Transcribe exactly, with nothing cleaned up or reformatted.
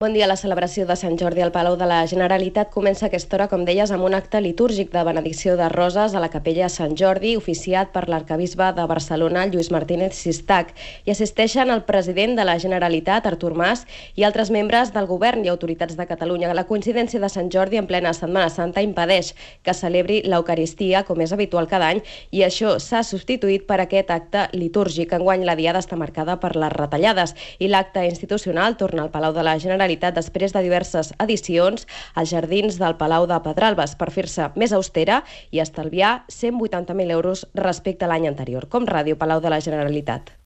Bon dia. La celebració de Sant Jordi al Palau de la Generalitat comença a aquesta hora, com deies, amb un acte litúrgic de benedicció de roses a la capella Sant Jordi, oficiat per l'arquebisbe de Barcelona, Lluís Martínez Sistach. Hi assisteixen el president de la Generalitat, Artur Mas, i altres membres del govern i autoritats de Catalunya. La coincidència de Sant Jordi en plena Setmana Santa impedeix que celebri l'Eucaristia, com és habitual cada any, i això s'ha substituït per aquest acte litúrgic. Enguany la diada està marcada per les retallades i l'acte institucional torna al Palau de la Generalitat després de diverses edicions als jardins del Palau de Pedralbes per fer-se més austera i estalviar cent vuitanta mil euros respecte a l'any anterior. Com Ràdio, Palau de la Generalitat.